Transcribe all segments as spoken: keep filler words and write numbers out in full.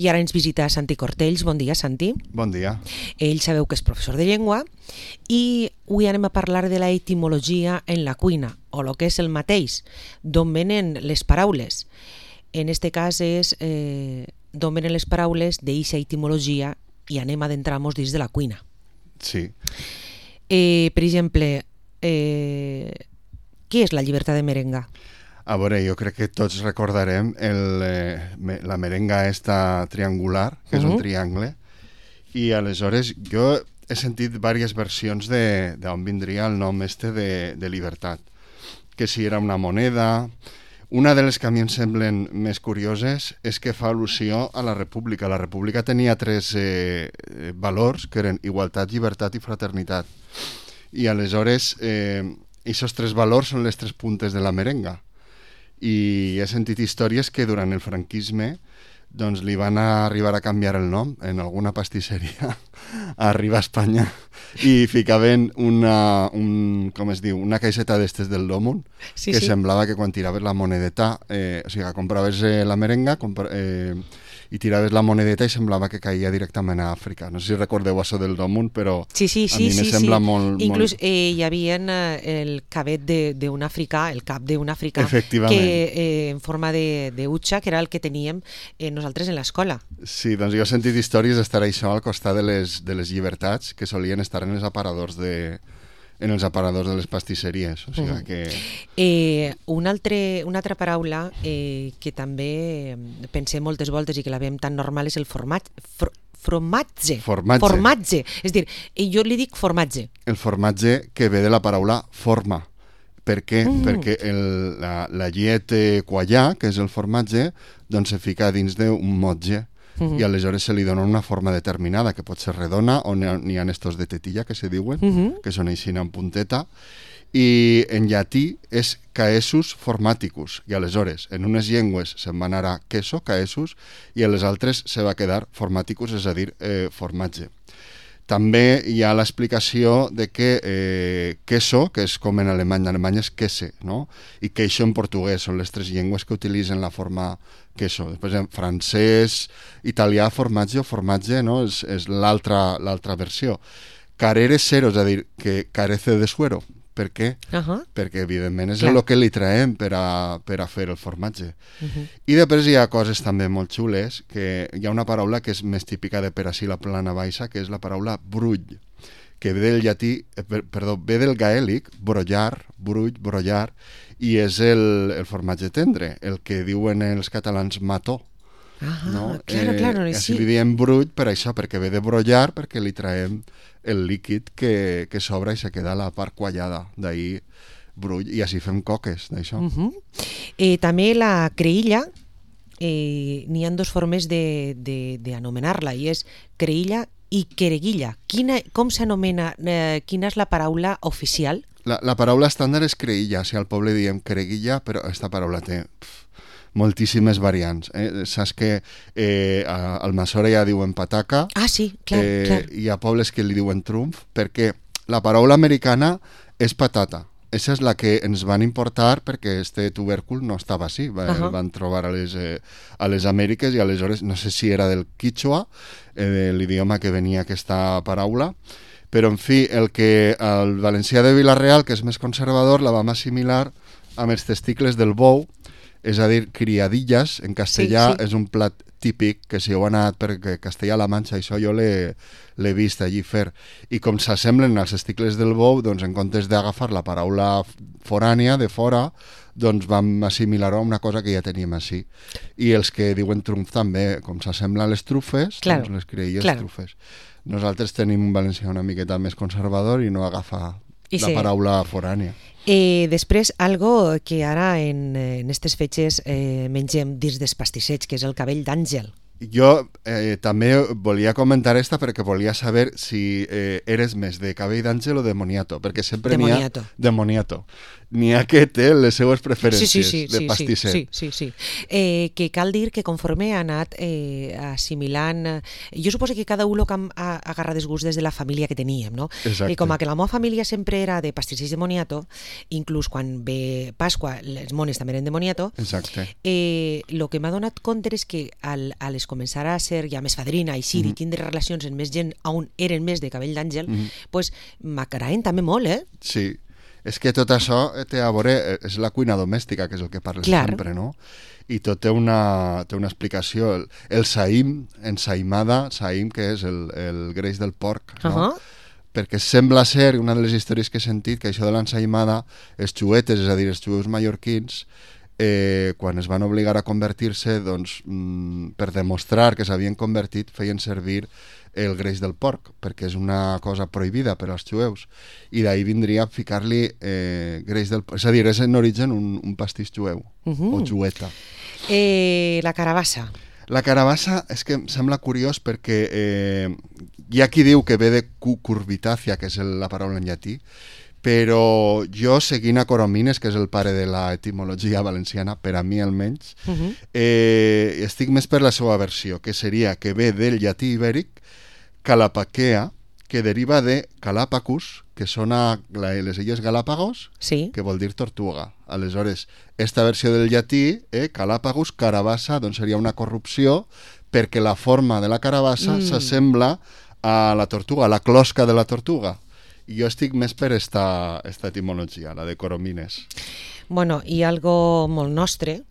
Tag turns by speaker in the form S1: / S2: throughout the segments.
S1: I ara ens visita Santi Cortells. Bon dia, Santi.
S2: Bon dia.
S1: Ell sabeu que és professor de llengua i avui anem a parlar de la etimologia en la cuina, o el que és el mateix, d'on venen les paraules. En este cas és eh, d'on venen les paraules d'eixa etimologia i anem a adentrar-nos dins de la cuina.
S2: Sí.
S1: Eh, per exemple, eh, què és la llibertat de merenga?
S2: A veure, jo crec que tots recordarem el, eh, la merenga esta triangular, que és uh-huh. un triangle, i aleshores jo he sentit diverses versions de d'on vindria el nom este de, de llibertat, que si era una moneda. Una de les que a mi em semblen més curioses és que fa al·lusió a la república. La república tenia tres eh, valors, que eren igualtat, llibertat i fraternitat. I aleshores, eh, aquests tres valors són les tres puntes de la merenga. I he sentit històries que durant el franquisme doncs li van arribar a canviar el nom en alguna pastisseria arriba a Espanya i ficaven una, un, com es diu, una caixeta d'estes del Domun sí, que sí. semblava que quan tiraves la monedeta, eh, o sigui, compraves eh, la merenga compra, eh, i tiraves la monedeta i semblava que caia directament a Àfrica. No sé si recordeu això del Domun, però
S1: sí, sí, sí,
S2: a mi
S1: sí,
S2: me
S1: sí,
S2: sembla
S1: sí.
S2: molt...
S1: Inclús
S2: molt...
S1: eh, hi havia eh, el cabet d'un africà, el cap d'un africà,
S2: que
S1: eh, en forma de, de utxa, que era el que teníem eh, nosaltres en l'escola.
S2: Sí, doncs jo he sentit històries d'estar això al costat de les, de les llibertats que solien estar en els aparadors de... en els aparadors de les pastisseries. O sigui que...
S1: eh, una, altre, una altra paraula eh, que també pensem moltes voltes i que la veiem tan normal és el formatge. For, formatge.
S2: Formatge.
S1: Formatge. És dir, jo li dic formatge.
S2: El formatge que ve de la paraula forma. Per què? Mm. Perquè el, la, la llet quallà, que és el formatge, doncs se fica dins d'un motge. Uh-huh. I aleshores se li dona una forma determinada, que pot ser redona, o n'hi ha estos de tetilla, que se diuen, uh-huh. que són així en punteta, i en llatí és caesus formaticus, i aleshores en unes llengües se'n va anar a queso, caesus, i a les altres se va quedar formaticus, és a dir, eh, formatge. També hi ha l'explicació de que eh, queso, que és com en alemany, en alemany és quese, no? I queixo en portuguès, són les tres llengües que utilitzen la forma queso. Després en francès, italià, formatge o formatge, no? És, és l'altra l'altra versió. Carere cero, és a dir, que carece de suero. Per què? Uh-huh. Perquè, evidentment, és Clar. el que li traiem per a, per a fer el formatge. Uh-huh. I després hi ha coses també molt xules, que hi ha una paraula que és més típica de per ací la plana baixa, que és la paraula brull, que ve del llatí, eh, per, perdó, ve del gaèlic, brollar, brull, brollar, i és el, el formatge tendre, el que diuen els catalans mató.
S1: Ah,
S2: no?
S1: claro,
S2: eh,
S1: claro.
S2: Així
S1: sí.
S2: li diem brull per això, perquè ve de brollar, perquè li traiem el líquid que, que s'obre i se queda la part quallada, d'ahir brull, i així fem coques d'això.
S1: Uh-huh. eh, també la creïlla, eh, n'hi ha dues formes d'anomenar-la, i és creïlla i quereguilla. Quina, com s'anomena, eh, quina és la paraula oficial?
S2: La, la paraula estàndard és creïlla, o sigui, al poble diem quereguilla, però aquesta paraula té... Pff, moltíssimes variants. Eh? Saps que eh, al Massora ja diuen pataca.
S1: Ah, sí, clar,
S2: eh,
S1: clar.
S2: Hi ha pobles que li diuen trumf, perquè la paraula americana és patata. Esa és la que ens van importar perquè este tubèrcul no estava així. Va, uh-huh. El van trobar a les, eh, a les Amèriques i aleshores, no sé si era del quichua, eh, de l'idioma que venia aquesta paraula, però en fi, el que el valencià de Vila-real, que és més conservador, la vam assimilar amb els testicles del bou, és a dir, criadillas, en castellà sí, sí. és un plat típic que si heu anat per Castellà-La Manxa, això jo l'he vist allí fer. I com s'assemblen als testicles del bou, doncs en comptes d'agafar la paraula forània, de fora, doncs vam assimilar-ho a una cosa que ja teníem així. I els que diuen trumf també, com s'assemblen les trufes, claro, doncs les criadilles claro. trufes. Nosaltres tenim un valencià una miqueta més conservador i no agafa I la sí. paraula forània.
S1: Eh, després, algo que ara en, en aquestes fetges eh, mengem dins dels pastissets, que és el cabell d'àngel.
S2: Jo eh, també volia comentar esta perquè volia saber si eh, eres més de cabell d'àngel o de moniato, perquè sempre n'hi ha... De moniato. n'hi ha que té les seues preferències
S1: sí, sí, sí,
S2: de
S1: sí,
S2: pastisser.
S1: Sí, sí, sí. Eh, que cal dir que conforme ha anat eh, assimilant... Eh, jo suposo que cada un que ha agarrat els gusts des de la família que teníem, no?
S2: Exacte.
S1: I com que la meva família sempre era de pastissers de moniato, inclús quan ve Pasqua, les mones també eren de moniato,
S2: Exacte.
S1: eh, lo que m'ha donat compte és que al, al es començar a ser ja més fadrina i sí, mm -hmm. i tindre relacions amb més gent on eren més de cabell d'àngel, mm -hmm. pues m'agraden també molt, eh?
S2: Sí. És que tot això té a veure, és la cuina domèstica, que és el que parles
S1: Clar.
S2: sempre, no? I tot té una, té una explicació. El, el saïm, ensaïmada, saïm, que és el, el greix del porc, no? Uh-huh. Perquè sembla ser, una de les històries que he sentit, que això de l'ensaïmada, els xuetes, és a dir, els xueus mallorquins, eh, quan es van obligar a convertir-se, doncs, mm, per demostrar que s'havien convertit, feien servir el greix del porc, perquè és una cosa prohibida per als jueus, i d'ahir vindria a ficar-li eh, greix del porc. És a dir, és en origen un, un pastís jueu, uh-huh. o jueta.
S1: Eh, la carabassa.
S2: La carabassa és que em sembla curiós perquè eh, hi ha qui diu que ve de cucurbitàcia, que és la paraula en llatí, però jo, seguint a Coromines, que és el pare de l'etimologia valenciana, per a mi almenys, uh-huh. eh, estic més per la seva versió, que seria que ve del llatí ibèric, Calapaquea, que deriva de Galapagos, que són a les illes Galàpagos, sí. que vol dir tortuga. Aleshores, esta versió del llatí, eh, Galàpagos, carabassa, doncs seria una corrupció, perquè la forma de la carabassa mm. s'assembla a la tortuga, a la closca de la tortuga. I jo estic més per esta, esta etimologia, la de Coromines.
S1: Bueno, i algo molt nostre,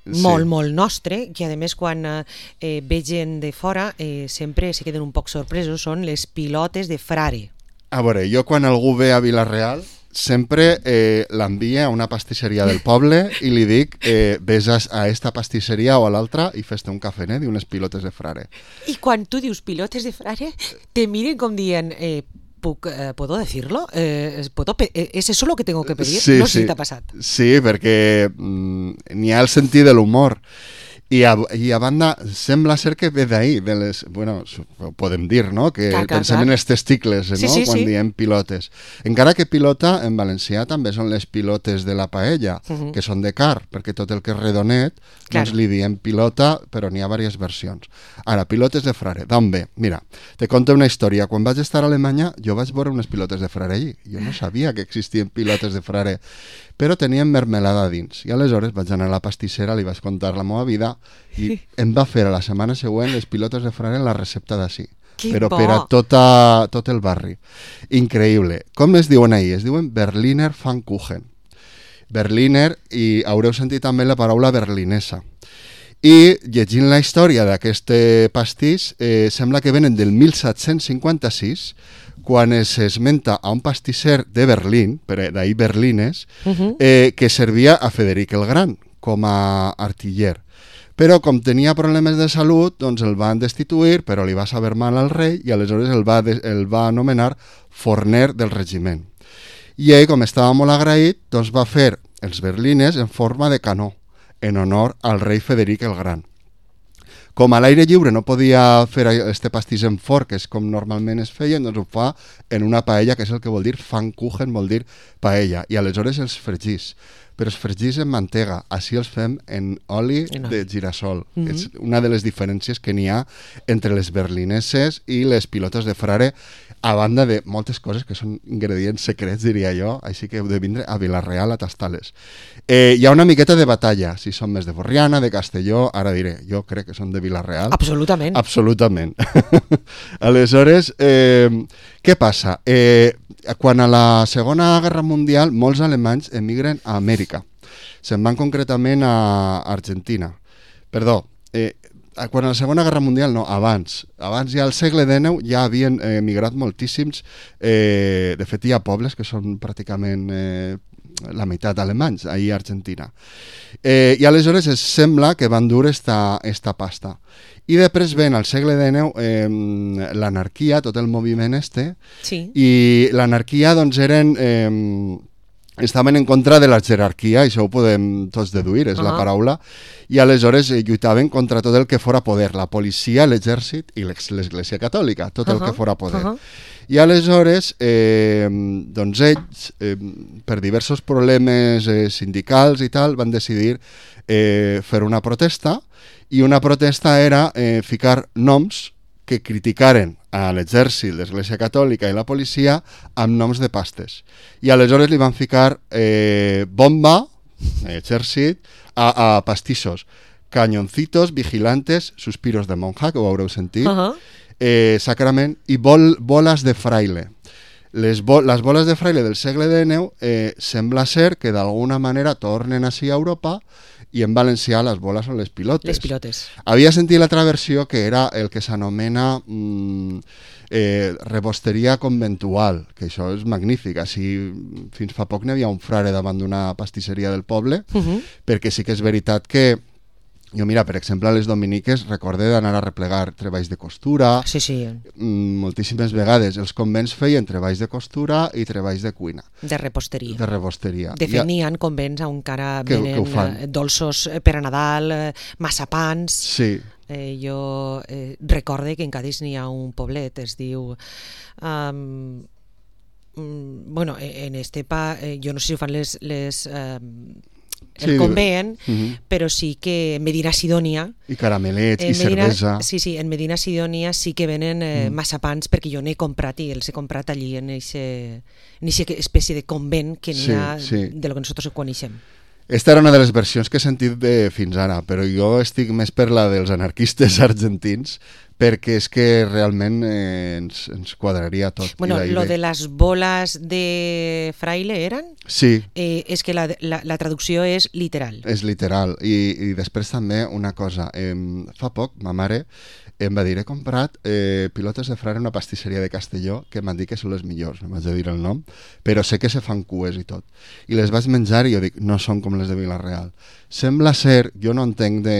S1: sí. molt, molt nostre, que a més quan eh, ve gent de fora eh, sempre se queden un poc sorpresos, són les pilotes de frare.
S2: A veure, jo quan algú ve a Vila-real sempre eh, l'envia a una pastisseria del poble i li dic eh, ves a, a esta pastisseria o a l'altra i fes-te un cafenet i unes pilotes de frare.
S1: I quan tu dius pilotes de frare, te miren com dient... Eh, Puc, eh, ¿Puedo decirlo? Eh, ¿puedo ¿Es eso lo que tengo que pedir?
S2: Sí,
S1: no sé
S2: sí.
S1: si t'ha passat.
S2: Sí, perquè mm, n'hi ha el sentit de l'humor. I a, I a banda, sembla ser que ve d'ahir, de les, bueno, podem dir, no?, que
S1: clar, clar,
S2: pensem
S1: clar.
S2: en els testicles, no?,
S1: sí, sí,
S2: quan
S1: sí.
S2: diem pilotes. Encara que pilota, en valencià també són les pilotes de la paella, uh-huh. que són de car, perquè tot el que és redonet, clar. doncs li diem pilota, però n'hi ha diverses versions. Ara, pilotes de frare, d'on ve? Mira, te conto una història. Quan vaig estar a Alemanya, jo vaig veure unes pilotes de frare allí. Jo no sabia que existien pilotes de frare, però tenien mermelada dins. I aleshores vaig anar a la pastissera, li vaig contar la meva vida i em va fer a la setmana següent les pilotes de frare en la recepta d'ací. Però per a tota, tot el barri. Increïble. Com es diuen ahir? Es diuen Berliner Pfannkuchen. Berliner, i haureu sentit també la paraula berlinesa. I llegint la història d'aquest pastís, eh, sembla que venen del mil set-cents cinquanta-sis, quan s'esmenta a un pastisser de Berlín, d'ahir Berlines, uh-huh. eh, que servia a Frederic el Gran com a artiller. Però com tenia problemes de salut, doncs el van destituir, però li va saber mal al rei i aleshores el va, de, el va anomenar forner del regiment. I ell, com estava molt agraït, doncs va fer els berlines en forma de canó, en honor al rei Frederic el Gran. Com a l'aire lliure no podia fer este pastís en forn, que és com normalment es feien, doncs ho fa en una paella, que és el que vol dir Pfannkuchen, vol dir paella, i aleshores els fregís. Però els fregís en mantega, així els fem en oli de girassol. Mm-hmm. És una de les diferències que n'hi ha entre les berlineses i les pilotes de frare, a banda de moltes coses que són ingredients secrets, diria jo, així que heu de vindre a Vila-real a tastar-les. Eh, hi ha una miqueta de batalla, si són més de Borriana, de Castelló, ara diré, jo crec que són de Vila-real.
S1: Absolutament.
S2: Absolutament. Aleshores, eh, què passa? Eh, quan a la Segona Guerra Mundial molts alemanys emigren a Amèrica. Se'n van concretament a Argentina. Perdó, eh, quan a la Segona Guerra Mundial, no, abans. Abans ja al segle dinou ja havien eh, emigrat moltíssims. Eh, de fet, hi ha pobles que són pràcticament eh, la meitat alemanys, ahir a Argentina. Eh, I aleshores es sembla que van dur esta, esta pasta. I després ven al segle dinou eh, l'anarquia, tot el moviment este, sí. I l'anarquia doncs eren eh, estaven en contra de la jerarquia, això ho podem tots deduir, és uh -huh. la paraula, i aleshores eh, lluitaven contra tot el que fora poder, la policia, l'exèrcit i l'Església Catòlica, tot uh -huh. el que fora poder. Uh -huh. I aleshores, eh, doncs ells, eh, per diversos problemes eh, sindicals i tal, van decidir eh, fer una protesta, i una protesta era eh, ficar noms que criticaren a l'exèrcit, l'Església Catòlica i la policia amb noms de pastes. I aleshores li van ficar eh, bomba, exèrcit, a, a pastissos, cañoncitos, vigilantes, suspiros de monja, que ho haureu sentit, uh -huh. eh, sacrament, i bol, boles de fraile. Les, bo les boles de fraile del segle dinou eh, sembla ser que d'alguna manera tornen així a Europa, i en valencià les boles són les pilotes.
S1: Les pilotes.
S2: Havia sentit l'altra versió que era el que s'anomena mm, eh, rebosteria conventual, que això és magnífic. Així, fins fa poc n'hi havia un frare davant d'una pastisseria del poble, uh -huh. perquè sí que és veritat que jo, mira, per exemple, a les dominiques recorde d'anar a replegar treballs de costura.
S1: Sí, sí.
S2: Mm, moltíssimes vegades. Els convents feien treballs de costura i treballs de cuina.
S1: De reposteria.
S2: De reposteria.
S1: De fet, n'hi ha convents on encara
S2: que,
S1: venen
S2: que
S1: dolços per a Nadal, massapans.
S2: Sí.
S1: Eh, jo eh, recorde que en Cádiz n'hi ha un poblet, es diu... Um, um, bueno, en Estepa, eh, jo no sé si ho fan les... les um, el sí, convent, uh -huh. però sí que en Medina Sidònia...
S2: I caramelets, i Medina, cervesa...
S1: Sí, sí, en Medina Sidònia sí que venen eh, mm. massapans, perquè jo n'he comprat i els he comprat allí en aquesta espècie de convent que n'hi sí, ha sí. de lo que nosaltres coneixem.
S2: Esta era una de les versions que he sentit de fins ara, però jo estic més per la dels anarquistes argentins, perquè és que realment eh, ens, ens quadraria tot.
S1: Bueno, lo de les boles de fraile eren?
S2: Sí.
S1: Eh, és que la, la, la traducció és literal.
S2: És literal. I, i després també una cosa. Eh, fa poc, ma mare em va dir, he comprat eh, pilotes de frare en una pastisseria de Castelló, que m'han dit que són les millors, no m'haig de dir el nom, però sé que se fan cues i tot. I les vaig menjar i jo dic, no són com les de Vila-real. Sembla ser, jo no entenc de...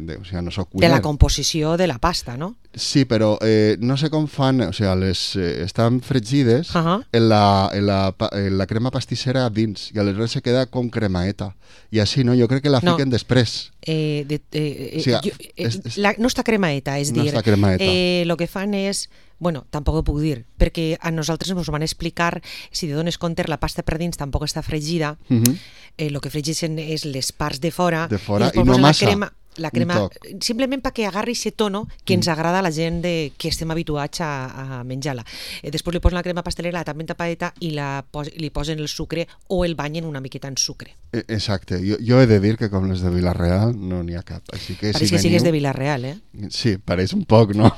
S2: de o sigui, no soc cuiner.
S1: De la composició de la pasta, no?
S2: Sí, però eh, no sé com fan, o sigui, les, eh, estan fregides uh -huh. en, la, en, la, en la crema pastissera dins, i aleshores se queda com cremaeta. I així, no? Jo crec que la fiquen no. després.
S1: Eh, de, eh, o sigui, jo, eh, és, és, la, no està cremaeta, és
S2: no
S1: dir,
S2: està cremaeta.
S1: Eh, lo que fan és... Bueno, tampoc ho puc dir, perquè a nosaltres ens van explicar, si te dones compte, la pasta per dins tampoc està fregida, uh -huh. eh, lo que fregeixen és les parts de fora,
S2: de fora
S1: i,
S2: i no massa.
S1: La crema, la crema simplement perquè agarri aquest tono que ens agrada a la gent de, que estem habituats a, a menjar-la. Eh, després li posen la crema pastelera també tapadeta i la pos, li posen el sucre o el banyen una miqueta en sucre.
S2: Exacte, jo, jo he de dir que com les de Vila-real no n'hi ha cap. Així que
S1: pareix
S2: si
S1: que
S2: veniu...
S1: sigues de Vila-real, eh?
S2: Sí, pareix un poc, no?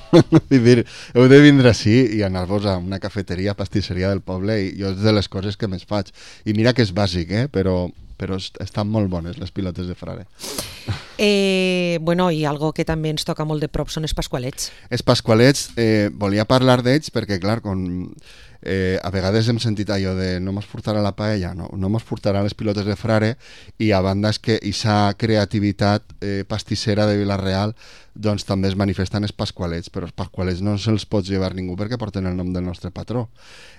S2: dir, heu de vindre així i anar-vos a una cafeteria, pastisseria del poble, i jo és de les coses que més faig. I mira que és bàsic, eh? Però... però estan molt bones les pilotes de frare.
S1: Eh, bueno, i algo que també ens toca molt de prop són els pasqualets.
S2: Els pasqualets, eh, volia parlar d'ells perquè, clar, con, eh, a vegades hem sentit allò de no mos portarà la paella, no, no mos portarà les pilotes de frare, i a banda és que aquesta creativitat eh, pastissera de Vila-real doncs també es manifesten els pasqualets, però els pasqualets no se'ls pot llevar ningú perquè porten el nom del nostre patró.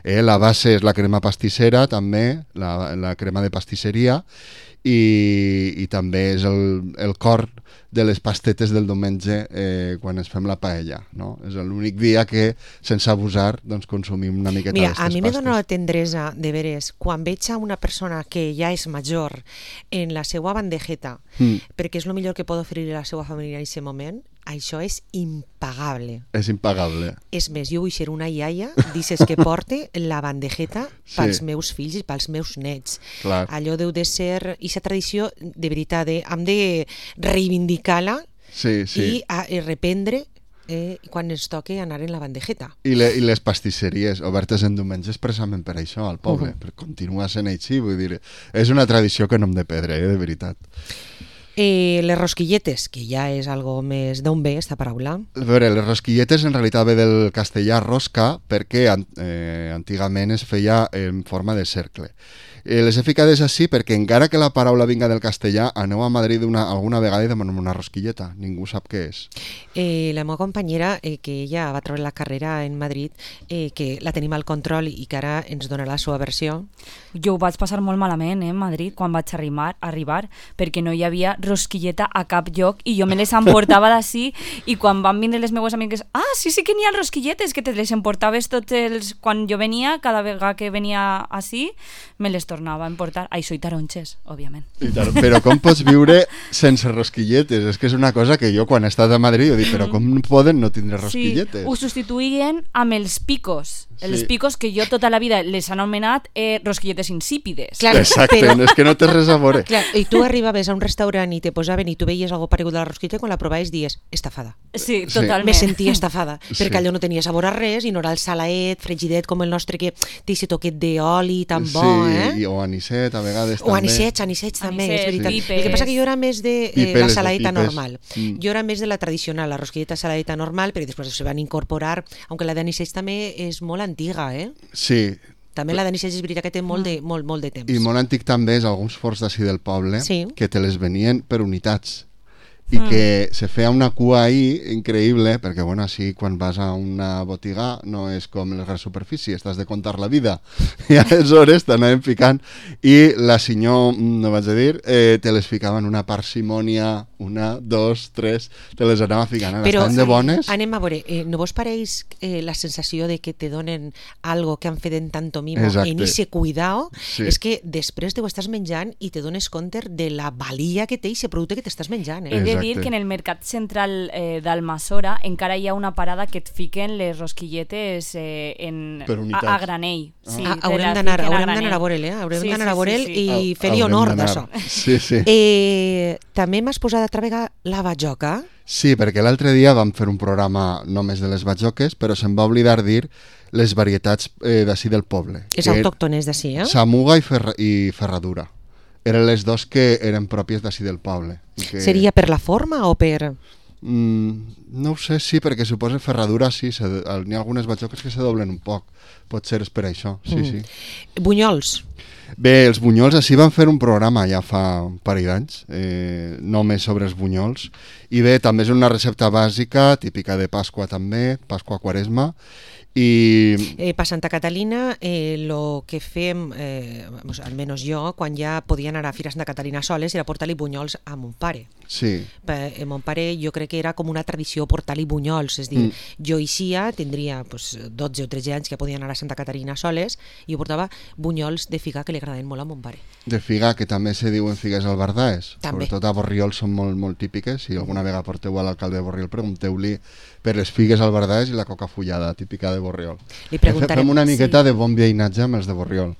S2: Eh, la base és la crema pastissera, també, la, la crema de pastisseria, i, i també és el, el cor de les pastetes del diumenge eh, quan ens fem la paella, no? És l'únic dia que, sense abusar, doncs consumim una miqueta
S1: Mira,
S2: d'aquestes pastes.
S1: A mi me dona la tendresa, de veres, quan veig a una persona que ja és major en la seva bandejeta, mm. perquè és el millor que pot oferir a la seva família en aquest moment, això és impagable.
S2: És impagable.
S1: És més, jo vull ser una iaia, dices que porte la bandejeta pels sí. meus fills i pels meus nets.
S2: Clar.
S1: Allò deu de ser, aquesta tradició, de veritat, eh, hem de reivindicar-la
S2: sí, sí.
S1: i a, a reprendre eh, quan ens toque anar en la bandejeta.
S2: I, le, i les pastisseries obertes en diumenge expressament per això, al poble, uh -huh. per continuar sent així, vull dir, és una tradició que no hem de perdre, eh, de veritat.
S1: Eh, les rosquilletes, que ja és algo més d'on ve esta paraula.
S2: A veure, les rosquilletes en realitat ve del castellà rosca perquè eh, antigament es feia en forma de cercle. Eh, les he ficades així perquè encara que la paraula vinga del castellà, aneu a Madrid una, alguna vegada i demanem una rosquilleta. Ningú sap què és.
S1: Eh, la meva companyera, eh, que ella va treure la carrera en Madrid, eh, que la tenim al control i que ara ens dona la seva versió.
S3: Jo ho vaig passar molt malament eh, en Madrid quan vaig arribar, arribar perquè no hi havia rosquilleta a cap lloc i jo me les emportava d'ací i quan van vindre les meves amigues, ah, sí, sí que n'hi ha rosquilletes, que te les emportaves tots els... Quan jo venia, cada vegada que venia així, me les tornava a emportar. Ai, soy taronxes, òbviament.
S2: I tar però com pots viure sense rosquilletes? És que és una cosa que jo quan he estat a Madrid jo dic, però com poden no tindre rosquilletes?
S3: Sí, ho substituïen amb els picos. Sí. Els picos que jo tota la vida les han anomenat eh, rosquilletes insípides.
S1: Clar,
S2: exacte, però... és que no té res a veure.
S1: Clar, i tu arribaves a un restaurant i te posaven i tu veies algo paregut a la rosquilleta i quan la provaves dies, estafada.
S3: Sí, totalment.
S1: Me sentia estafada,
S2: Sí.
S1: perquè allò no tenia sabor a res i no era el salaet, fregidet com el nostre que té aquest toquet d'oli tan bo,
S2: sí,
S1: eh?
S2: i, o anisset a vegades
S1: O
S2: també.
S1: anisets, anisets també,
S3: Anisets,
S1: és veritat.
S3: pipes.
S1: El que passa que jo era més de eh,
S2: Pipes,
S1: la
S2: les
S1: saladeta
S2: pipes.
S1: normal.
S2: Mm.
S1: Jo era més de la tradicional, la rosquilleta saladeta normal, perquè després se van incorporar, aunque la d'anisets també és molt antiga, eh?
S2: Sí,
S1: També la d'anisets és veritat que té molt de, molt, molt de temps.
S2: i molt antic també és alguns forns d'ací del poble
S1: Sí.
S2: que te les venien per unitats i mm. que se feia una cua ahí increïble, perquè bueno, així quan vas a una botiga no és com les grans superfícies, t'has de contar la vida i aleshores t'anaven ficant i la senyor, no vaig a dir eh, te les ficaven una parsimònia, una, dos, tres, te les anava ficant,
S1: Però
S2: estaven de bones.
S1: anem a veure, eh, no vos pareix eh, la sensació de que te donen algo que han fet en tanto mimo
S2: Exacte.
S1: en ese cuidao?
S2: Sí.
S1: És que després te ho estàs menjant i te dones compte de la valia que té ese producte que t'estàs menjant,
S3: He
S1: eh?
S3: de
S2: Exacte.
S3: dir que en el mercat central eh, d'Almassora encara hi ha una parada que et fiquen les rosquilletes eh, en,
S2: Per
S3: a,
S2: unitats.
S3: a granell. Sí,
S1: Ah,
S3: te
S1: haurem
S3: la
S1: d'anar
S3: fiquen a
S1: haurem
S3: granell.
S1: d'anar a veure-l, eh? Haurem
S3: Sí,
S1: d'anar
S3: sí,
S1: a veure-l
S3: sí, sí.
S1: i
S2: Hau-
S1: fer-li
S2: haurem
S1: honor
S2: d'anar.
S1: d'això.
S2: Sí, sí.
S1: Eh, també m'has posat altra vegada la bajoca.
S2: Sí, perquè l'altre dia vam fer un programa només de les batjoques, però se'm va oblidar dir les varietats eh, d'ací del poble.
S1: És
S2: que
S1: autòctones d'ací, eh?
S2: Samuga i, ferra, i ferradura. Eren les dos que eren pròpies d'ací del poble. I que,
S1: Seria per la forma o per...
S2: Mm, no ho sé, sí, perquè suposa ferradura, sí, se, n'hi ha algunes batjoques que se doblen un poc. Pot ser és per això, sí,
S1: Mm.
S2: sí.
S1: Bunyols.
S2: Bé, els bunyols, així van fer un programa ja fa un parell d'anys, eh, només sobre els bunyols, i bé, també és una recepta bàsica, típica de Pasqua també, Pasqua Quaresma, i...
S1: Eh, per Santa Catalina, eh, lo que fem, eh, almenys jo, quan ja podia anar a Fira Santa Catalina soles, era portar-li bunyols a mon pare.
S2: Sí,
S1: Per, eh, mon pare jo crec que era com una tradició portar-li bunyols, és a dir,
S2: Mm.
S1: jo eixia, tindria pues, dotze o tretze anys que podia anar a Santa Caterina soles i jo portava bunyols de figa que li agradaven molt a mon pare.
S2: de figa, que també se diuen figues albardaes.
S1: També.
S2: Sobretot a Borriol són molt, molt típiques. Si alguna vegada porteu a l'alcalde de Borriol, pregunteu-li per les figues albardaes i la coca fullada, típica de Borriol.
S1: Li preguntarem.
S2: Fem una miqueta
S3: Sí.
S2: de bon veïnatge amb els de Borriol.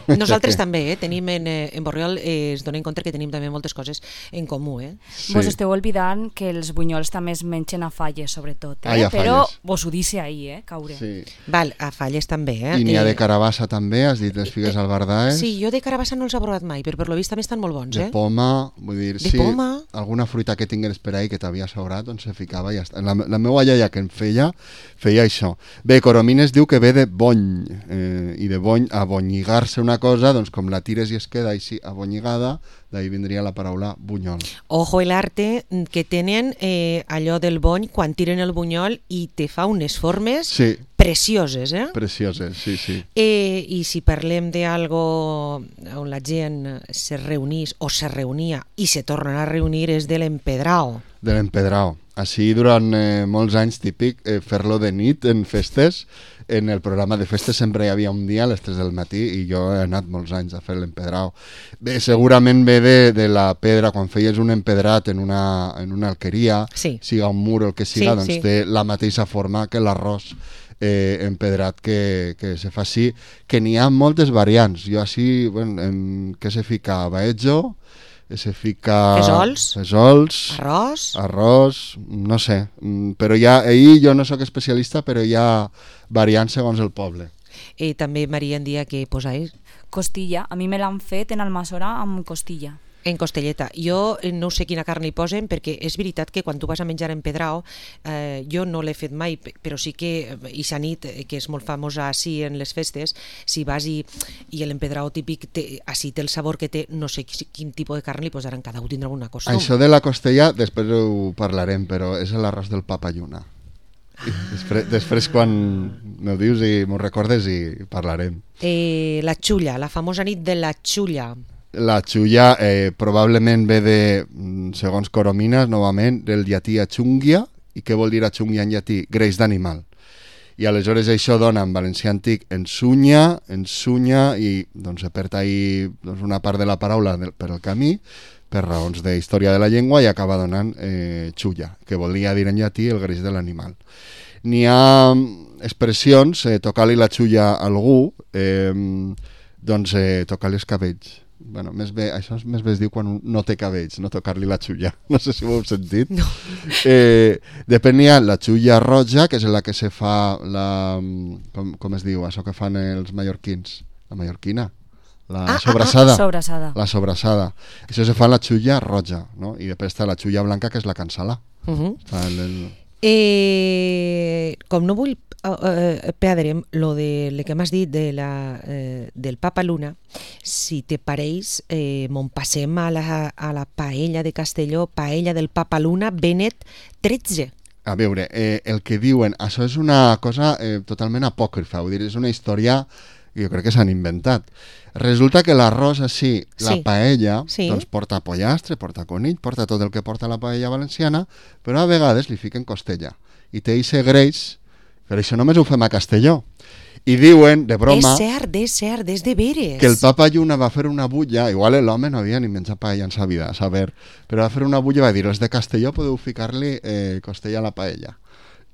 S1: Nosaltres també, eh? Tenim en, eh, en Borriol, eh, es donen compte que tenim també moltes coses en comú. Eh?
S2: Sí.
S3: Vos esteu oblidant que els bunyols també es mengen a falles, sobretot. Eh?
S2: Ah, i a
S3: Però
S2: falles.
S3: vos ho dice ahí, eh, caure.
S2: Sí.
S1: Val, a falles també. Eh?
S2: I n'hi ha de
S1: Eh,
S2: carabassa també, has dit les figues albardaes.
S1: Sí, jo de carabassa no els he provat mai, però per lo vist també estan molt bons,
S2: De
S1: eh?
S2: poma, vull dir,
S1: De
S2: sí,
S1: poma.
S2: alguna fruita que tingués per ahí que t'havia sobrat, doncs se ficava i ja està. La, la meva iaia que en feia, feia això. Bé, Coromines diu que ve de bony, eh, i de bony, abonyigar-se una cosa, doncs com la tires i es queda així abonyigada, d'ahí vindria la paraula bunyol.
S1: Ojo el arte que tenen eh, allò del bony quan tiren el bunyol i te fa unes formes
S2: Sí,
S1: precioses, eh?
S2: precioses, sí, sí.
S1: Eh, I si parlem d'algo on la gent se reunís o se reunia i se tornen a reunir és de l'empedrao.
S2: De l'empedrao. Així durant eh, molts anys típic eh, fer-lo de nit en festes. En el programa de festes sempre hi havia un dia a les tres del matí i jo he anat molts anys a fer l'empedrao. Bé, segurament ve de, de la pedra, quan feies un empedrat en una, en una alqueria,
S1: Sí.
S2: siga un mur o el que siga,
S1: Sí,
S2: doncs
S1: sí.
S2: té la mateixa forma que l'arròs eh, empedrat que, que se fa així, que n'hi ha moltes variants. Jo així, bueno, em, què se fica? Baetjo, se fica...
S1: Fesols.
S2: Fesols.
S1: Arròs.
S2: Arròs, no sé, mm, però ja, ahir jo no sóc especialista, però hi ha variants segons el poble.
S1: I també Maria en dia que posais
S3: Costilla. A mi me l'han fet en Almassora amb costilla.
S1: En costelleta. Jo no sé quina carn li posen, perquè és veritat que quan tu vas a menjar en Pedrao, eh, jo no l'he fet mai, però sí que ixa nit, que és molt famosa així en les festes, si vas i, i l'empedrao típic té, així té el sabor que té, no sé quin tipus de carn li posaran, cada un tindrà alguna cosa.
S2: Això de la costella després ho parlarem, però és l'arròs del papa lluna. Després, després quan m'ho dius i m'ho recordes i parlarem.
S1: Eh, la xulla, la famosa nit de la xulla.
S2: La xulla eh, probablement ve de, segons Coromines, novament, del llatí achungia. I què vol dir achungia en llatí? Greix d'animal. I aleshores això dona en valencià antic ensunya, ensunya, i doncs se perd ahí doncs, una part de la paraula del, per el camí, per raons de història de la llengua, i acaba donant eh, xulla, que volia dir en llatí el greix de l'animal. N'hi ha expressions, eh, tocar-li la xulla a algú, eh, doncs eh, tocar-li els cabells. Bueno, més bé, això més bé es diu quan no té cabells, no tocar-li la xulla. No sé si ho heu sentit.
S1: No.
S2: Eh, depèn, hi ha la xulla roja, que és la que se fa, la, com, com es diu, això que fan els mallorquins, la mallorquina, la
S1: Ah, ah,
S2: sobrassada.
S3: ah, sobrassada.
S2: La sobrassada. Això se fa en la xulla roja, no? I després està la xulla blanca, que és la cansala.
S1: Uh -huh.
S2: Està el, el...
S1: Eh, com no vull eh, perdre'm lo de lo que m'has dit de la, eh, del Papa Luna, si te pareix, eh, mon passem a la, a la paella de Castelló, paella del Papa Luna, Benet tretze.
S2: A veure, eh, el que diuen, això és una cosa eh, totalment apòcrifa, vull dir, és una història que jo crec que s'han inventat. Resulta que l'arròs així, la
S1: Sí.
S2: paella,
S1: Sí.
S2: doncs porta pollastre, porta conill, porta tot el que porta la paella valenciana, però a vegades li fiquen costella. I té ixe greix, però això només ho fem a Castelló. I diuen, de broma,
S1: És cert, és cert, és de veres.
S2: que el papa Lluna va fer una bulla, igual l'home no havia ni menjat paella en sa vida, a saber, però va fer una bulla i va dir, els de Castelló podeu ficar-li eh, costella a la paella.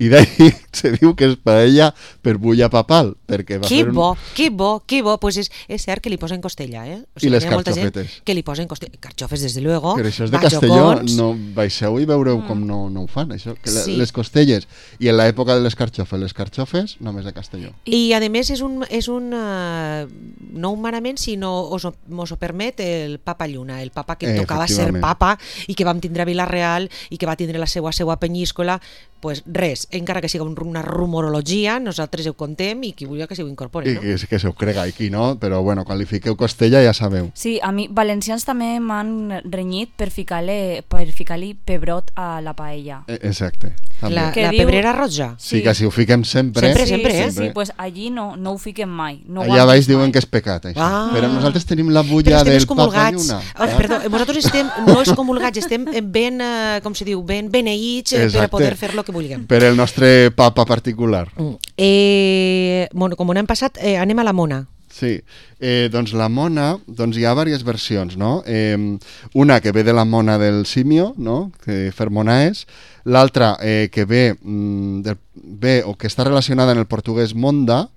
S2: I d'ahí se diu que és paella per bulla papal, perquè va
S1: Que
S2: fer un...
S1: bo, que bo, que bo. Pues és, és cert que li posen costella, eh? O
S2: I les
S1: hi ha molta gent
S2: carxofetes.
S1: que li posen costella. Carxofes, des de luego.
S2: Però això és de
S1: ballocons.
S2: Castelló, no baixeu i veureu com no, no ho fan, això. Que la-
S1: Sí.
S2: Les costelles, i en l'època de les carxofes, les carxofes, només de Castelló.
S1: I a més és un, és un uh, no un manament, sinó us ho, mos ho permet el Papa Lluna, el papa que
S2: Eh,
S1: tocava ser
S2: efectivament.
S1: papa i que vam tindre a Vila-real i que va tindre la seva seva penyíscola. Pues res, encara que siga un, una rumorologia, nosaltres ho contem i qui vulgui que s'ho incorpori,
S2: I
S1: no?
S2: que, que se ho crega, i qui no, però bueno, quan li fiqueu costella ja sabeu.
S3: Sí, a mi, valencians també m'han renyit per ficar-li per ficar-li pebrot a la paella.
S2: Eh, Exacte. També.
S1: La,
S3: Que
S1: la
S3: diu-
S1: pebrera roja.
S2: Sí, que si ho fiquem sempre...
S1: Sempre,
S3: sí,
S1: sempre,
S3: sí,
S1: eh?
S3: sí, pues allí no, no ho fiquem mai. No ho
S2: Allà
S3: han
S2: baix
S3: vist
S2: diuen
S3: mai.
S2: que és pecat, això.
S1: Ah.
S2: Però nosaltres tenim la
S1: Però
S2: bulla
S1: estem
S2: del Papa
S1: excomulgats.
S2: Lluna.
S1: Ah, perdó, nosaltres estem no excomulgats, estem ben, eh, com se diu, ben beneïts eh, per a
S2: Exacte.
S1: poder fer lo que vulguem.
S2: Per el nostre papa particular.
S1: Mm. Eh, bueno, com no hem passat, eh, anem a la mona.
S2: Sí, eh, doncs la mona, doncs hi ha diverses versions, no? Eh, una que ve de la mona del simio, no? Que Fermonaes, l'altra eh, que ve, mm, del, ve o que està relacionada en el portuguès monda,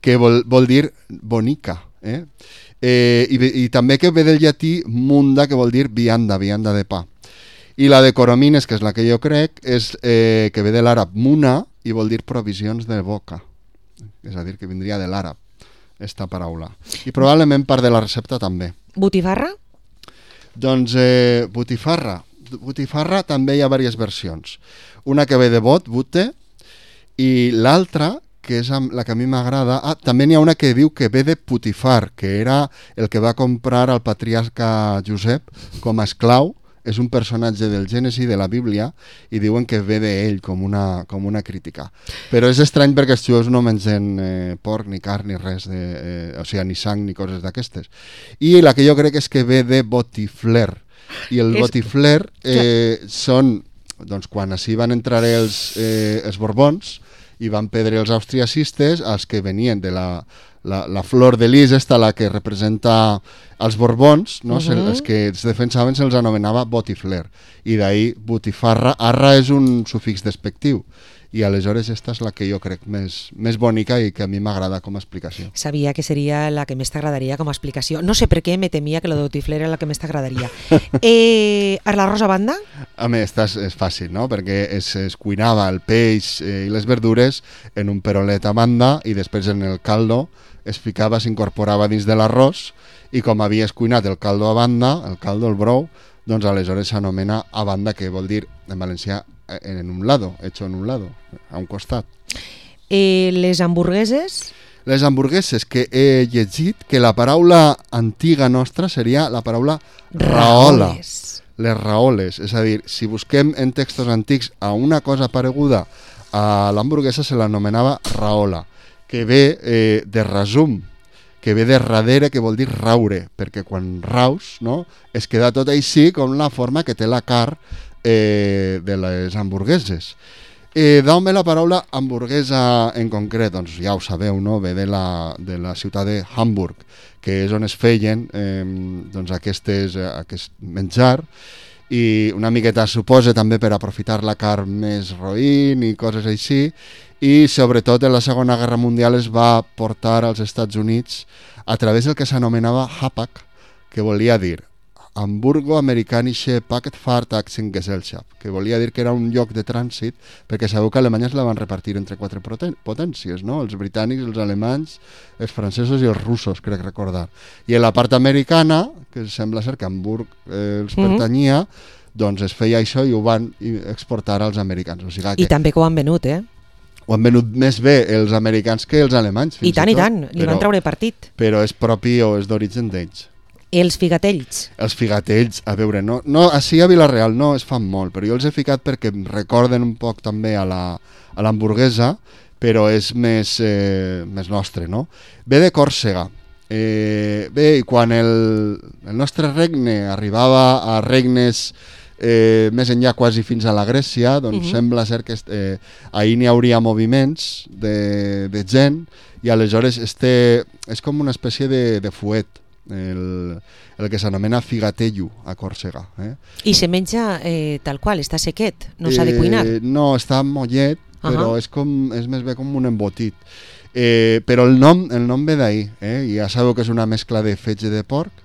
S2: que vol, vol dir bonica, eh? Eh, i, i també que ve del llatí munda, que vol dir vianda, vianda de pa. I la de Coromines, que és la que jo crec, és eh, que ve de l'àrab muna i vol dir provisions de boca. És a dir, que vindria de l'àrab, esta paraula. I probablement part de la recepta també.
S1: Botifarra?
S2: Doncs eh, botifarra. Botifarra també hi ha diverses versions. Una que ve de bot, bute, i l'altra, que és amb la que a mi m'agrada, ah, també n'hi ha una que diu que ve de Putifar, que era el que va comprar el patriarca Josep com a esclau. És un personatge del Gènesi, de la Bíblia, i diuen que ve d'ell com una, com una crítica. Però és estrany perquè els jueus no mengen eh, porc, ni carn, ni res, de, eh, o sigui, ni sang, ni coses d'aquestes. I la que jo crec és que ve de botifler. I el
S1: És-
S2: botifler eh, són, doncs, quan així van entrar els, eh, els borbons i van perdre els austriacistes, els que venien de la, la, la flor de lis, esta, la que representa els borbons, no?
S1: Uh
S2: Se,
S1: -huh.
S2: els que es defensaven se'ls anomenava botifler, i d'ahir botifarra. Arra és un sufix despectiu, i aleshores esta és la que jo crec més, més bonica i que a mi m'agrada com a explicació.
S1: Sabia que seria la que més t'agradaria com a explicació. No sé per què me temia que la de Botifler era la que més t'agradaria. eh, l'arròs a banda?
S2: A més, esta és, és fàcil, no? Perquè es, es cuinava el peix eh, i les verdures en un perolet a banda i després en el caldo es ficava, s'incorporava dins de l'arròs i com havies cuinat el caldo a banda, el caldo, el brou, doncs aleshores s'anomena a banda, que vol dir en valencià en un lado, hecho en un lado, a un costat.
S1: Eh, les hamburgueses?
S2: Les hamburgueses, que he llegit que la paraula antiga nostra seria la paraula raola.
S1: Raoles.
S2: Les raoles, és a dir, si busquem en textos antics a una cosa pareguda a l'hamburguesa se l'anomenava raola, que ve eh, de resum, que ve de darrere, que vol dir raure, perquè quan raus, no, es queda tot així com la forma que té la carn eh, de les hamburgueses. Eh, D'on ve la paraula hamburguesa en concret? Doncs ja ho sabeu, no? Ve de la, de la ciutat de Hamburg, que és on es feien eh, doncs aquestes, aquest menjar, i una miqueta suposa també per aprofitar la carn més roïn i coses així, i sobretot en la Segona Guerra Mundial es va portar als Estats Units a través del que s'anomenava Hapag, que volia dir Hamburgo Amerikanische Paketfahrtagsgesellschaft, que volia dir que era un lloc de trànsit, perquè sabeu que Alemanya es la van repartir entre quatre potències, no? Els britànics, els alemanys, els francesos i els russos, crec recordar. I en la part americana, que sembla ser que Hamburg eh, els mm-hmm. pertanyia, doncs es feia això i ho van exportar als americans. O sigui que
S1: I també que ho han venut, eh?
S2: Ho han venut més bé els americans que els alemanys.
S1: I tant, i, i tant, li però, van treure partit.
S2: Però és propi o és d'origen d'ells.
S1: Els figatells.
S2: Els figatells, a veure, no, no, així a Vila-real no es fan molt, però jo els he ficat perquè em recorden un poc també a la, a l'hamburguesa, però és més, eh, més nostre, no? Ve de Còrsega. Eh, bé, i quan el, el nostre regne arribava a regnes eh, més enllà quasi fins a la Grècia, doncs uh-huh. sembla ser que eh, ahir n'hi hauria moviments de, de gent i aleshores este, és com una espècie de, de fuet, el, el que s'anomena figatello a Còrsega. Eh?
S1: I se menja eh, tal qual, està sequet, no s'ha de cuinar?
S2: Eh, no, està mollet, uh-huh. però és, com, és més bé com un embotit. Eh, però el nom, el nom ve d'ahir, eh? Ja sabeu que és una mescla de fetge de porc,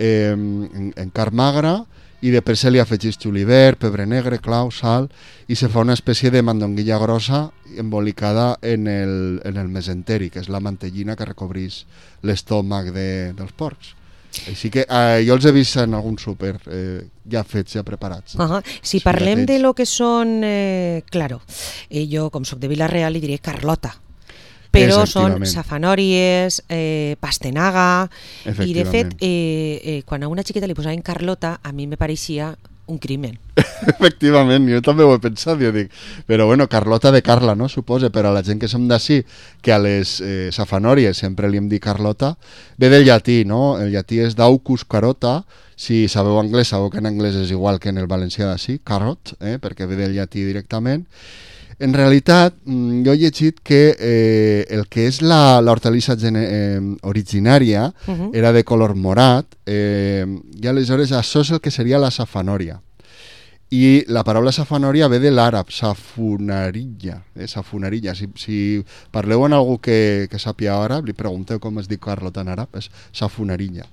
S2: eh, en, en carn magra, i després se li afegeix julivert, pebre negre, clau, sal, i se fa una espècie de mandonguilla grossa embolicada en el, en el mesenteri, que és la mantellina que recobreix l'estómac de, dels porcs. Així que eh, jo els he vist en algun súper eh, ja fets, ja preparats.
S1: Uh-huh. Si parlem de lo que són, eh, claro, eh, jo com soc de Vila-real li diré Carlota, però són safanòries, eh, pastanaga, i de fet, eh, eh, quan a una xiqueta li posaven Carlota, a mi me pareixia un crimen.
S2: Efectivament, jo també ho he pensat, jo dic, però bueno, Carlota de Carla, no, suposa, però a la gent que som d'ací, que a les eh, safanòries sempre li hem dit Carlota, ve del llatí, no? El llatí és daucus carota, si sabeu anglès, sabeu que en anglès és igual que en el valencià d'ací, carrot, eh, perquè ve del llatí directament. En realitat, jo he llegit que eh, el que és l'hortalissa eh, originària uh-huh. era de color morat, eh, i aleshores això és el que seria la safanòria. I la paraula safanòria ve de l'àrab, safonarilla. Eh, safonarilla. Si, si parleu amb algú que, que sàpia àrab, li pregunteu com es diu Carlota en àrab, és safonarilla.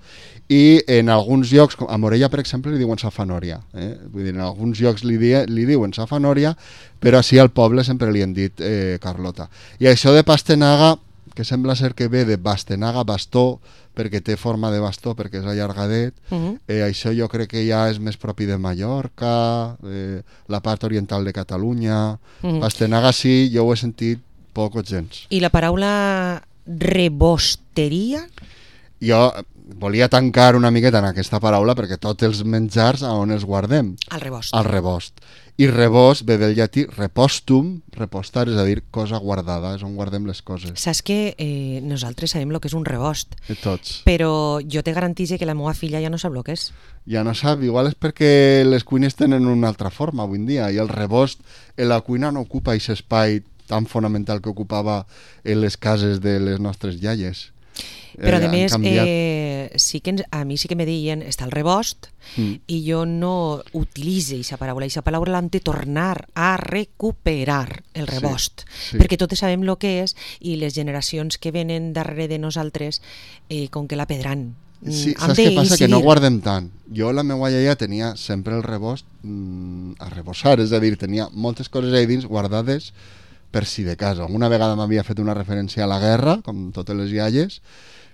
S2: I en alguns llocs, a Morella, per exemple, li diuen safanòria. Eh? Vull dir, en alguns llocs li, di, li diuen safanòria, però així al poble sempre li han dit eh, Carlota. I això de pastanaga, que sembla ser que ve de bastenaga, bastó, perquè té forma de bastó, perquè és allargadet, uh-huh. eh, això jo crec que ja és més propi de Mallorca, eh, la part oriental de Catalunya. Uh-huh. Bastenaga sí, jo ho he sentit poc o gens.
S1: I la paraula rebosteria?
S2: Jo volia tancar una miqueta en aquesta paraula perquè tots els menjars a on els guardem?
S1: Al rebost.
S2: Al rebost. I rebost ve del llatí repostum, repostar, és a dir, cosa guardada, és on guardem les coses.
S1: Saps que eh, nosaltres sabem el que és un rebost,
S2: I tots.
S1: Però jo te garantitzo que la meva filla ja no sap el que és.
S2: Ja no sap, igual és perquè les cuines tenen una altra forma avui en dia, i el rebost en la cuina no ocupa aquest espai tan fonamental que ocupava en les cases de les nostres iaies.
S1: Però,
S2: eh,
S1: a més,
S2: canviat...
S1: eh, sí que ens, a mi sí que me deien està el rebost, mm. i jo no utilitze aquesta paraula. Aquesta paraula l'hem de tornar a recuperar, el rebost. Sí, sí. Perquè totes sabem el que és i les generacions que venen darrere de nosaltres, eh, com que la pedran.
S2: Sí, saps què passa? Que no guardem tant. Jo, la meva iaia tenia sempre el rebost mm, a rebossar, és a dir, tenia moltes coses ahí dins guardades per si de cas. Alguna vegada m'havia fet una referència a la guerra, com totes les iaies,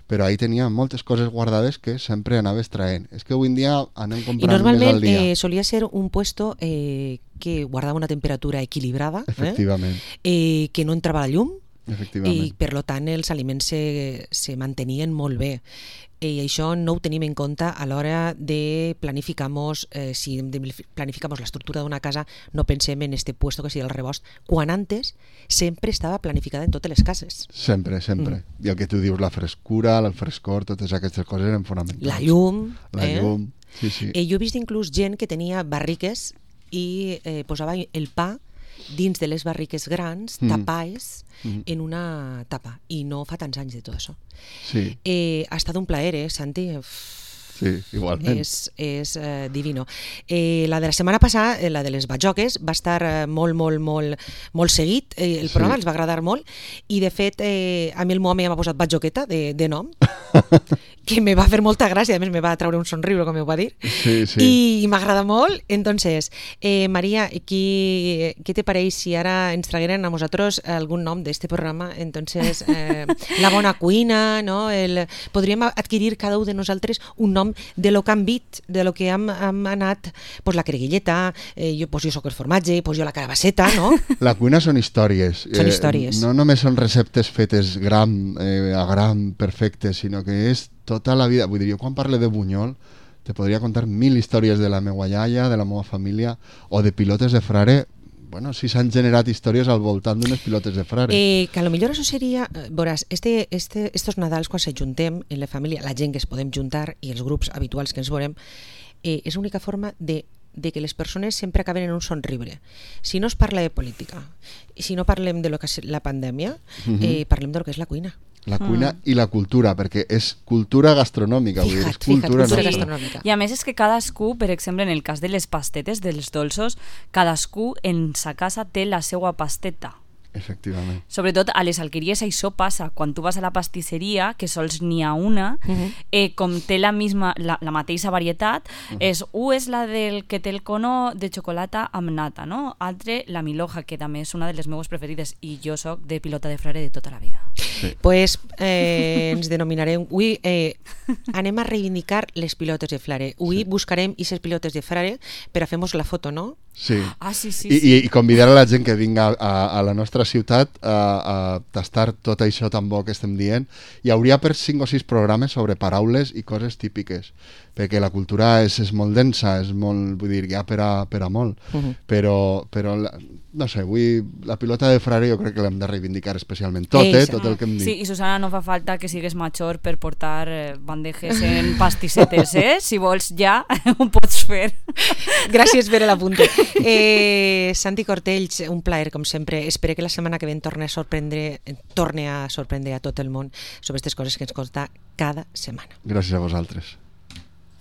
S2: però ahí tenia moltes coses guardades que sempre anava extraent. És que avui en dia anem comprant més al dia.
S1: I normalment eh, solia ser un puesto eh, que guardava una temperatura equilibrada,
S2: efectivament.
S1: Eh? Eh, que no entrava la llum,
S2: efectivament.
S1: I per lo tant els aliments se, se mantenien molt bé. I això no ho tenim en compte a l'hora de planificamos, eh, si planificamos l'estructura d'una casa, no pensem en este puesto que sigui el rebost, quan antes sempre estava planificada en totes les cases.
S2: Sempre, sempre. Mm. I el que tu dius, la frescura, el frescor, totes aquestes coses eren fonamentals.
S1: La llum.
S2: La
S1: eh?
S2: llum, sí, sí.
S1: Eh, jo he vist inclús gent que tenia barriques i eh, posava el pa dins de les barriques grans, mm. tapades, mm. en una tapa. I no fa tants anys de tot això.
S2: Sí.
S1: Eh, ha estat un plaer, eh, Santi?
S2: Sí, igualment.
S1: És, és eh, divino. Eh, la de la setmana passada, eh, la de les batjoques, va estar eh, molt, molt, molt, molt seguit. Eh, el programa sí. els va agradar molt. I, de fet, eh, a mi el meu home ja m'ha posat batjoqueta de, de nom, que me va fer molta gràcia, a més me va treure un somriure, com ho va dir,
S2: sí, sí.
S1: i, i m'agrada molt. Entonces, eh, Maria, qui, què te pareix si ara ens tragueren a nosaltres algun nom d'este programa? Entonces, eh, la bona cuina, no? El, podríem adquirir cada un de nosaltres un nom de lo que han vist, de lo que hem, hem anat, pues la creguilleta, eh, jo, pues jo soc el formatge, pues jo la carabasseta, no?
S2: La cuina són històries.
S1: Són històries.
S2: Eh, no només són receptes fetes gram, eh, a gram, perfectes, sinó que és tota la vida. Vull dir, jo quan parle de bunyol te podria contar mil històries de la meva iaia, de la meva família, o de pilotes de frare. Bueno, si s'han generat històries al voltant d'unes pilotes de frare.
S1: Eh, que a lo millor això seria, veuràs, este, este, estos Nadals quan se juntem en la família, la gent que es podem juntar i els grups habituals que ens veurem, eh, és l'única forma de de que les persones sempre acaben en un somriure. Si no es parla de política, i si no parlem de lo que és la pandèmia, uh-huh. eh, parlem de lo que és la cuina.
S2: La cuina mm. i la cultura, perquè és cultura gastronòmica.
S1: Fija't,
S2: vull dir, és
S1: fija't,
S2: cultura
S1: cultura
S2: nostra.
S1: gastronòmica.
S3: I a més és que cadascú, per exemple, en el cas de les pastetes, dels dolços, cadascú en sa casa té la seva pasteta.
S2: Efectivament.
S3: Sobretot a les alqueries això passa, quan tu vas a la pastisseria, que sols n'hi ha una, uh-huh. eh, com té la, misma, la, la mateixa varietat, uh-huh. és, un és la del que té el cono de xocolata amb nata, no? Altre, la Miloja, que també és una de les meves preferides, i jo soc de pilota de frare de tota la vida.
S1: Sí. Pues eh, ens denominarem, avui eh, anem a reivindicar les pilotes de frare. Avui sí. buscarem aquestes pilotes de frare per a fer-nos la foto, no?
S2: Sí.
S3: Ah, sí, sí,
S2: I,
S3: sí.
S2: I, i convidar a la gent que vinga a, a la nostra ciutat a, a tastar tot això tan bo que estem dient. Hi hauria per cinc o sis programes sobre paraules i coses típiques, perquè la cultura és, és molt densa, és molt, vull dir, ja per a, per a molt, uh-huh. però, però la, no sé, avui la pilota de frare jo crec que l'hem de reivindicar especialment tot, eh, tot el que hem dit.
S3: Sí, i Susana, no fa falta que sigues major per portar eh, bandejes en pastissetes, eh? Si vols ja, ho pots fer.
S1: Gràcies per l'apunte. Eh, Santi Cortells, un plaer com sempre. Espero que la setmana que ve torne a sorprendre, torne a sorprendre a tot el món sobre aquestes coses que ens conta cada setmana.
S2: Gràcies a vosaltres.